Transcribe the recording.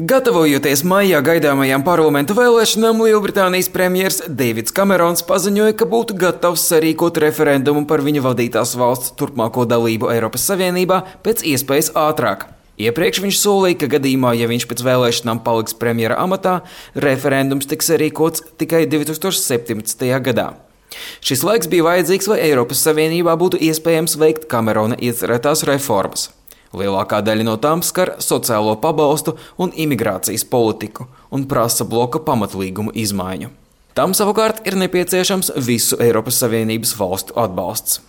Gatavojoties maijā gaidāmajām parlamentu vēlēšanām, Lielbritānijas premjers Deivids Kamerons paziņoja, ka būtu gatavs sarīkot referendumu par viņa vadītās valsts turpmāko dalību Eiropas Savienībā pēc iespējas ātrāk. Iepriekš viņš solīja, ka gadījumā, ja viņš pēc vēlēšanām paliks premjera amatā, referendums tiks sarīkots tikai 2017. gadā. Šis laiks bija vajadzīgs, lai Eiropas Savienībā būtu iespējams veikt Kamerona iecerētās reformas. Lielākā daļa no tām skar sociālo pabalstu un imigrācijas politiku un prasa bloka pamatlīgumu izmaiņu. Tam savukārt ir nepieciešams visu Eiropas Savienības valstu atbalsts.